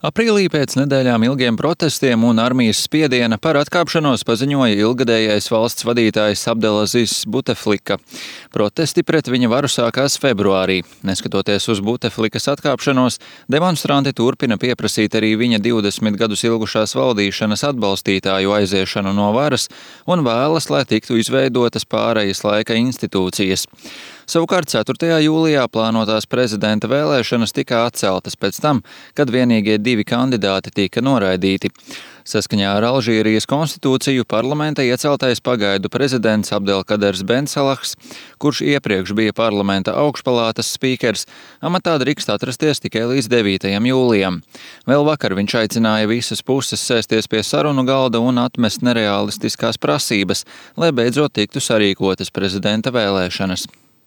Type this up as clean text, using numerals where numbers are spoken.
Aprīlī pēc nedēļām ilgiem protestiem un armijas spiediena par atkāpšanos paziņoja ilgadējais valsts vadītājs Abdelazizs Buteflika. Protesti pret viņa varu sākās februārī. Neskatoties uz Buteflikas atkāpšanos, demonstranti turpina pieprasīt arī viņa 20 gadus ilgušās valdīšanas atbalstītāju aiziešanu no varas un vēlas, lai tiktu izveidotas pārejas laika institūcijas. Savukārt 4. jūlijā plānotās prezidenta vēlēšanas tika atceltas pēc tam, kad vienīgie 2 kandidāti tika noraidīti. Saskaņā ar Alžīrijas konstitūciju parlamenta ieceltais pagaidu prezidents Abdelkaders Bensalahs, kurš iepriekš bija parlamenta augšpalātas spīkers, amatā drīkst atrasties tikai līdz 9. jūlijam. Vēl vakar viņš aicināja visas puses sēsties pie sarunu galda un atmest nereālistiskās prasības, lai beidzot tiktu sarīkotas prezidenta vēlēšanas.